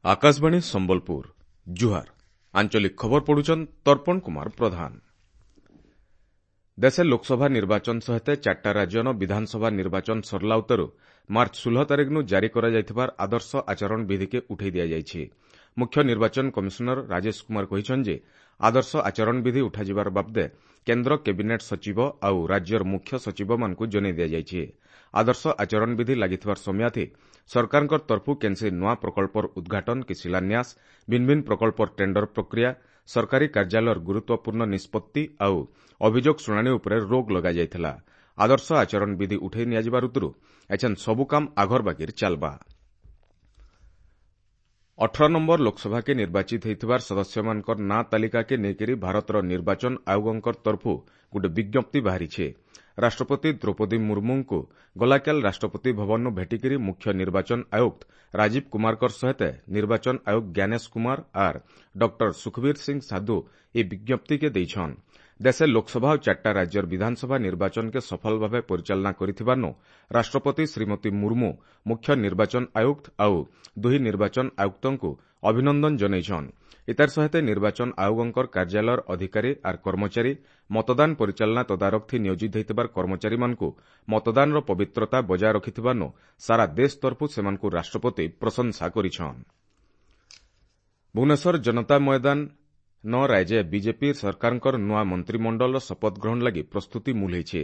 ଆକାଶବାଣୀ ସମ୍ବଲପୁର, ଜୁହାର। ଆଞ୍ଚଳିକ ଖବର ପଢୁଛନ୍ ତର୍ପଣ କୁମାର ପ୍ରଧାନ। ଦେଶେ ଲୋକସଭା ନିର୍ବାଚନ ସହିତ ଚାରିଟା ରାଜ୍ୟନ ବିଧାନସଭା ନିର୍ବାଚନ ସରିଲା ଉତ୍ତରୁ ମାର୍ଚ୍ଚ 16 ତାରିଖନୁ ଜାରି କରାଯାଇଥିବାର ଆଦର୍ଶ ଆଚରଣ ବିଧିକେ ଉଠାଇ ଦିଆଯାଇଛି। ମୁଖ୍ୟ ନିର୍ବାଚନ କମିଶନର ରାଜେଶ କୁମାର କହିଛନ୍ତି ଯେ ଆଦର୍ଶ ଆଚରଣ ବିଧି ଉଠାଯିବାର ବାବଦେ କେନ୍ଦ୍ର କ୍ୟାବିନେଟ୍ ସଚିବ ଆଉ ରାଜ୍ୟର ମୁଖ୍ୟ ସଚିବମାନଙ୍କୁ ଜଣାଇ ଦିଆଯାଇଛି। ଆଦର୍ଶ ଆଚରଣ ବିଧି ଲାଗିଥିବାର ସମୟାଥି ସରକାରଙ୍କ ତରଫୁ କେନ୍ସି ନୂଆ ପ୍ରକଳ୍ପର ଉଦ୍ଘାଟନ କି ଶିଳାନ୍ୟାସ, ଭିନ୍ନ ଭିନ୍ନ ପ୍ରକଳ୍ପର ଟେଣ୍ଡର ପ୍ରକ୍ରିୟା, ସରକାରୀ କାର୍ଯ୍ୟାଳୟର ଗୁରୁତ୍ୱପୂର୍ଣ୍ଣ ନିଷ୍ପତ୍ତି ଆଉ ଅଭିଯୋଗ ଶୁଣାଣି ଉପରେ ରୋକ୍ ଲଗାଯାଇଥିଲା। ଆଦର୍ଶ ଆଚରଣ ବିଧି ଉଠାଇ ନିଆଯିବାର ଉତ୍ତରୁ ଏଛେନ୍ ସବୁ କାମ ଆଘର ବାଗିର ଚାଲ୍ବା। 18 ନମ୍ବର ଲୋକସଭାକେ ନିର୍ବାଚିତ ହୋଇଥିବାର ସଦସ୍ୟମାନଙ୍କର ନାଁ ତାଲିକାକେ ନେଇକରି ଭାରତର ନିର୍ବାଚନ ଆୟୋଗଙ୍କ ତରଫୁ ଗୋଟେ ବିଜ୍ଞପ୍ତି ବାହାରିଛେ। ରାଷ୍ଟ୍ରପତି ଦ୍ରୌପଦୀ ମୁର୍ମୁଙ୍କୁ ଗଲାକାଲ ରାଷ୍ଟ୍ରପତି ଭବନରୁ ଭେଟିକରି ମୁଖ୍ୟ ନିର୍ବାଚନ ଆୟୁକ୍ତ ରାଜୀବ କୁମାରଙ୍କ ସହିତ ନିର୍ବାଚନ ଆୟୁକ୍ତ ଜ୍ଞାନେଶ କୁମାର ଆର୍ ଡକ୍ଟର ସୁଖବୀର ସିଂ ସାଧୁ ଏହି ବିଜ୍ଞପ୍ତିକେ ଦେଇଛନ୍। ଦେଶେ ଲୋକସଭା ଓ ଚାରିଟା ରାଜ୍ୟର ବିଧାନସଭା ନିର୍ବାଚନକେ ସଫଳ ଭାବେ ପରିଚାଳନା କରିଥିବାରୁ ରାଷ୍ଟ୍ରପତି ଶ୍ରୀମତୀ ମୁର୍ମୁ ମୁଖ୍ୟ ନିର୍ବାଚନ ଆୟୁକ୍ତ ଆଉ ଦୁହି ନିର୍ବାଚନ ଆୟୁକ୍ତଙ୍କୁ ଅଭିନନ୍ଦନ ଜଣାଇଛନ୍। ଇତାର ସହିତ ନିର୍ବାଚନ ଆୟୋଗଙ୍କର କାର୍ଯ୍ୟାଳୟର ଅଧିକାରୀ ଆର୍ କର୍ମଚାରୀ, ମତଦାନ ପରିଚାଳନା ତଦାରଖ ନିୟୋଜିତ ହୋଇଥିବାର କର୍ମଚାରୀମାନଙ୍କୁ ମତଦାନର ପବିତ୍ରତା ବଜାୟ ରଖିଥିବାରୁ ସାରା ଦେଶ ତରଫୁ ସେମାନଙ୍କୁ ରାଷ୍ଟ୍ରପତି ପ୍ରଶଂସା କରିଛନ୍। ଭୁବନେଶ୍ୱର ଜନତା ମଇଦାନ ନ ରାଜ୍ୟ ବିଜେପି ସରକାରଙ୍କର ନୂଆ ମନ୍ତ୍ରିମଣ୍ଡଳର ଶପଥ ଗ୍ରହଣ ଲାଗି ପ୍ରସ୍ତୁତି ମୂଲ ହୋଇଛି।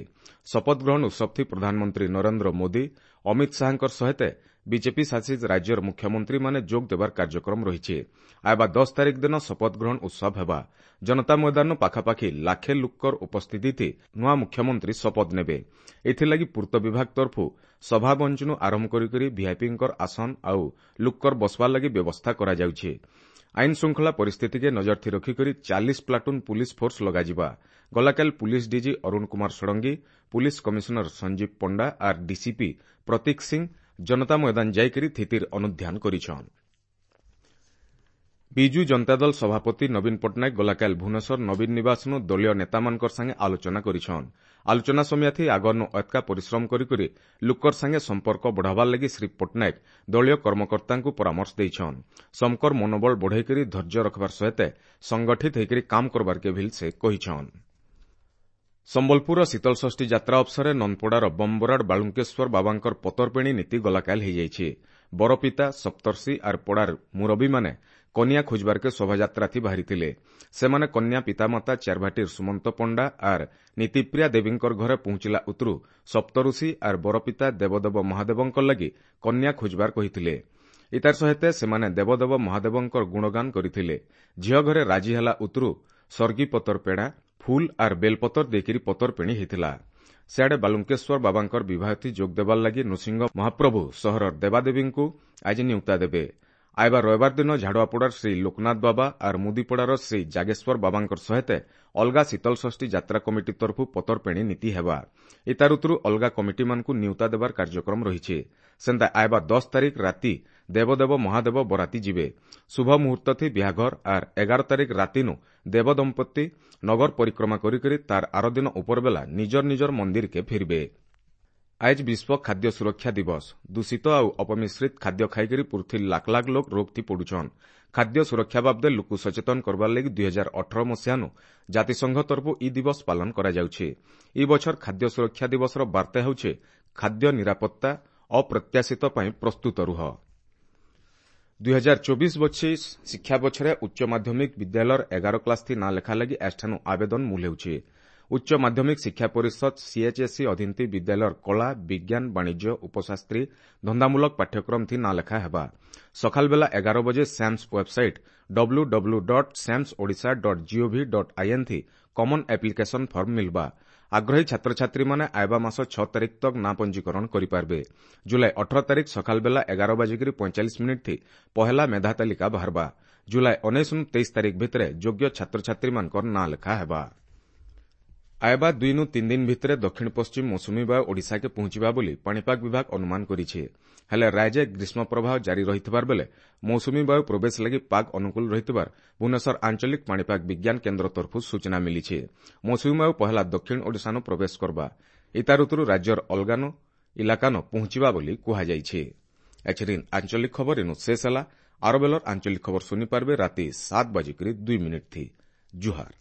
ଶପଥ ଗ୍ରହଣ ଉତ୍ସବଥି ପ୍ରଧାନମନ୍ତ୍ରୀ ନରେନ୍ଦ୍ର ମୋଦି, ଅମିତ ଶାହାଙ୍କ ସହିତ ବିଜେପି ଶାସିତ ରାଜ୍ୟର ମୁଖ୍ୟମନ୍ତ୍ରୀମାନେ ଯୋଗ ଦେବାର କାର୍ଯ୍ୟକ୍ରମ ରହିଛି। ଆଇବା 10 ତାରିଖ ଦିନ ଶପଥ ଗ୍ରହଣ ଉତ୍ସବ ହେବା। ଜନତା ମଇଦାନ ପାଖାପାଖି ଲାଖେ ଲୋକର ଉପସ୍ଥିତି ନୂଆ ମୁଖ୍ୟମନ୍ତ୍ରୀ ଶପଥ ନେବେ। ଏଥିଲାଗି ପୂର୍ତ୍ତ ବିଭାଗ ତରଫୁ ସଭାମଞ୍ଚନୁ ଆରମ୍ଭ କରିକରି ଭିଆଇପିଙ୍କର ଆସନ ଆଉ ଲୋକର ବସବାର ଲାଗି ବ୍ୟବସ୍ଥା କରାଯାଉଛି। ଆଇନ ଶୃଙ୍ଖଳା ପରିସ୍ଥିତିକେ ନଜରଥି ରଖିକରି 40 ପ୍ଲାଟୁନ୍ ପୁଲିସ ଫୋର୍ସ ଲଗାଯିବା। ଗଲାକାଲ police DG Arun Kumar Sarangi, police commissioner Sanjeev Panda ଆର୍ ଡିସିପି ପ୍ରତୀକ ସିଂ ଜନତା ମଇଦାନ ଯାଇକରି ସ୍ଥିତିର ଅନୁଧ୍ୟାନ କରିଛନ୍। ବିଜୁ ଜନତା ଦଳ ସଭାପତି ନବୀନ ପଟ୍ଟନାୟକ ଗଲାକାଲ ଭୁବନେଶ୍ୱର ନବୀନ ନିବାସନୁ ଦଳୀୟ ନେତାମାନଙ୍କର ସାଙ୍ଗେ ଆଲୋଚନା କରିଛନ୍। ଆଲୋଚନା ସମୟାଥି ଆଗରନୁ ଏତ୍କା ପରିଶ୍ରମ କରିକରି ଲୋକର ସାଙ୍ଗେ ସମ୍ପର୍କ ବଢ଼ାବାର ଲାଗି ଶ୍ରୀ ପଟ୍ଟନାୟକ ଦଳୀୟ କର୍ମକର୍ତ୍ତାଙ୍କୁ ପରାମର୍ଶ ଦେଇଛନ୍। ସମକର ମନୋବଳ ବଢ଼େଇକରି ଧୈର୍ଯ୍ୟ ରଖବାର ସହିତ ସଂଗଠିତ ହୋଇକରି କାମ କରବାର୍କେ ଭିଲ୍ ସେ କହିଛନ୍। ସମ୍ବଲପୁରର ଶୀତଳଷଷ୍ଠୀ ଯାତ୍ରା ଅବସରରେ ନନ୍ଦପଡ଼ାର ବମ୍ବରାଡ଼ ବାଳୁଙ୍କେଶ୍ୱର ବାବାଙ୍କର ପତରପେଣି ନୀତି ଗଲାକାଲ ହୋଇଯାଇଛି। ବରପିତା, ସପ୍ତର୍ଷି ଆର୍ ପଡ଼ାର ମୁରବୀମାନେ କନ୍ୟା ଖୋଜବାର୍କେ ଶୋଭାଯାତ୍ରାଥି ବାହାରିଥିଲେ। ସେମାନେ କନ୍ୟା ପିତାମାତା ଚାରଭାଟିର ସୁମନ୍ତ ପଣ୍ଡା ଆର୍ ନୀତିପ୍ରିୟା ଦେବୀଙ୍କର ଘରେ ପହଞ୍ଚିଲା ଉତରୁ ସପ୍ତଋଷି ଆର୍ ବରପିତା ଦେବଦେବ ମହାଦେବଙ୍କ ଲାଗି କନ୍ୟା ଖୋଜବାର କହିଥିଲେ। ଇତାର ସହିତ ସେମାନେ ଦେବଦେବ ମହାଦେବଙ୍କର ଗୁଣଗାନ କରିଥିଲେ। ଝିଅ ଘରେ ରାଜି ହେଲା ଉତରୁ ସର୍ଗୀ ପତର ପେଡ଼ା, ଫୁଲ ଆର୍ ବେଲପତର ଦେଇକରି ପତରପେଣି ହେଇଥିଲା। ସିଆଡ଼େ ବାଲୁଙ୍କେଶ୍ୱର ବାବାଙ୍କର ବିବାହଥି ଯୋଗ ଦେବାର ଲାଗି ନୃସିଂହ ମହାପ୍ରଭୁ ସହରର ଦେବାଦେବୀଙ୍କୁ ଆଜି ନିୟୁକ୍ତା ଦେବେ। ଆଇବା ରବିବାର ଦିନ ଝାଡ଼ୁଆପଡ଼ାର ଶ୍ରୀ ଲୋକନାଥ ବାବା ଆର୍ ମୁଦିପଡ଼ାର ଶ୍ରୀ ଜାଗେଶ୍ୱର ବାବାଙ୍କର ସହିତ ଅଲଗା ଶୀତଳଷଷ୍ଠୀ ଯାତ୍ରା କମିଟି ତରଫୁ ପତରପେଣି ନୀତି ହେବା। ଇତାର ଉତରୁ ଅଲଗା କମିଟିମାନଙ୍କୁ ନିୟୁତା ଦେବାର କାର୍ଯ୍ୟକ୍ରମ ରହିଛି। ସେନ୍ତା ଆଇବା 10 ତାରିଖ ରାତି ଦେବଦେବ ମହାଦେବ ବରାତି ଯିବେ। ଶୁଭ ମୁହୂର୍ତ୍ତଥି ବିହାଘର ଆର୍ 11 ତାରିଖ ରାତିନୁ ଦେବ ଦମ୍ପତି ନଗର ପରିକ୍ରମା କରିକରି ତାର ଆରଦିନ ଉପରବେଲା ନିଜର ନିଜର ମନ୍ଦିରକେ ଫିରବେ। ଆଜ ବିଶ୍ୱ ଖାଦ୍ୟ ସୁରକ୍ଷା ଦିବସ। ଦୂଷିତ ଆଉ ଅପମିଶ୍ରିତ ଖାଦ୍ୟ ଖାଇକରି ପୃଥ୍ୱୀ ଲାଖ ଲାଖ ଲୋକ ରୋଗଥି ପଡୁଛନ୍। ଖାଦ୍ୟ ସୁରକ୍ଷା ବାବଦେ ଲୋକକୁ ସଚେତନ କରବାର ଲାଗି 2018 ମସିହାନୁ ଜାତିସଂଘ ତରଫୁ ଇ ଦିବସ ପାଳନ କରାଯାଉଛି। ଇ ବଛର ଖାଦ୍ୟ ସୁରକ୍ଷା ଦିବସର ବାର୍ତ୍ତା ହେଉଛି ଖାଦ୍ୟ ନିରାପତ୍ତା ଅପ୍ରତ୍ୟାଶିତ ପାଇଁ ପ୍ରସ୍ତୁତ ରୁହ। 2024-25 ଶିକ୍ଷା ବଛରେ ଉଚ୍ଚ ମାଧ୍ୟମିକ ବିଦ୍ୟାଳୟର 11 କ୍ଲାସ୍ ନାଁ ଲେଖା ଲାଗି ଆଜଠାନୁ ଆବେଦନ ମୂଲ ହେଉଛି। ଉଚ୍ଚ ମାଧ୍ୟମିକ ଶିକ୍ଷା ପରିଷଦ ସିଏଚ୍ଏସ୍ଇ ଅଧୀନଥି ବିଦ୍ୟାଳୟର କଳା, ବିଜ୍ଞାନ, ବାଣିଜ୍ୟ, ଉପଶାସ୍ତ୍ରୀ, ଧନ୍ଦାମୂଳକ ପାଠ୍ୟକ୍ରମ ଥି ନାଁ ଲେଖା ହେବା। ସକାଳ ବେଲା 11 ବଜେ SAMS website W W dot SAMS Odisha dot GOV dot IN ଥି କମନ୍ ଆପ୍ଲିକେସନ୍ ଫର୍ମ ମିଲବା। ଆଗ୍ରହୀ ଛାତ୍ରଛାତ୍ରୀମାନେ ଆଇବା ମାସ 6 ତାରିଖ ତକ୍ ନାଁ ପଞ୍ଜୀକରଣ କରିପାରିବେ। ଜୁଲାଇ 18 ତାରିଖ ସକାଳ ବେଲା 11:45 ଥି ପହେଲା ମେଧା ତାଲିକା ବାହାରବା। ଜୁଲାଇ 19 23 ତାରିଖ ଭିତରେ ଯୋଗ୍ୟ ଛାତ୍ରଛାତ୍ରୀମାନଙ୍କର ନାଁ ଲେଖା ହେବା। ଆଇବା 2 3 ଦିନ ଭିତରେ ଦକ୍ଷିଣ ପଶ୍ଚିମ ମୌସୁମୀ ବାୟୁ ଓଡ଼ିଶାକେ ପହଞ୍ଚିବା ବୋଲି ପାଣିପାଗ ବିଭାଗ ଅନୁମାନ କରିଛି। ହେଲେ ରାଜ୍ୟ ଗ୍ରୀଷ୍ମ ପ୍ରବାହ ଜାରି ରହିଥିବାର ବେଳେ ମୌସୁମୀ ବାୟୁ ପ୍ରବେଶ ଲାଗି ପାଗ ଅନୁକୂଳ ରହିଥିବାର ଭୁବନେଶ୍ୱର ଆଞ୍ଚଳିକ ପାଣିପାଗ ବିଜ୍ଞାନ କେନ୍ଦ୍ର ତରଫରୁ ସୂଚନା ମିଳିଛି। ମୌସୁମୀ ବାୟୁ ପହେଲା ଦକ୍ଷିଣ ଓଡ଼ିଶାନୁ ପ୍ରବେଶ କରବା। ଇତା ଋତୁରୁ ରାଜ୍ୟର ଅଲଗାନୁ ଇଲାକାନ ପହଞ୍ଚିବା ବୋଲି କୁହାଯାଇଛି। ଏଛରିନ୍ ଆଞ୍ଚଳିକ ଖବର ଇନୁ ଶେଷ ହେଲା। ଆର ବେଲର ଆଞ୍ଚଳିକ ଖବର ଶୁନି ପାରବେ ରାତି 7 ବାଜିକରି 2 ମିନିଟ୍ ଥି। ଜୁହାର।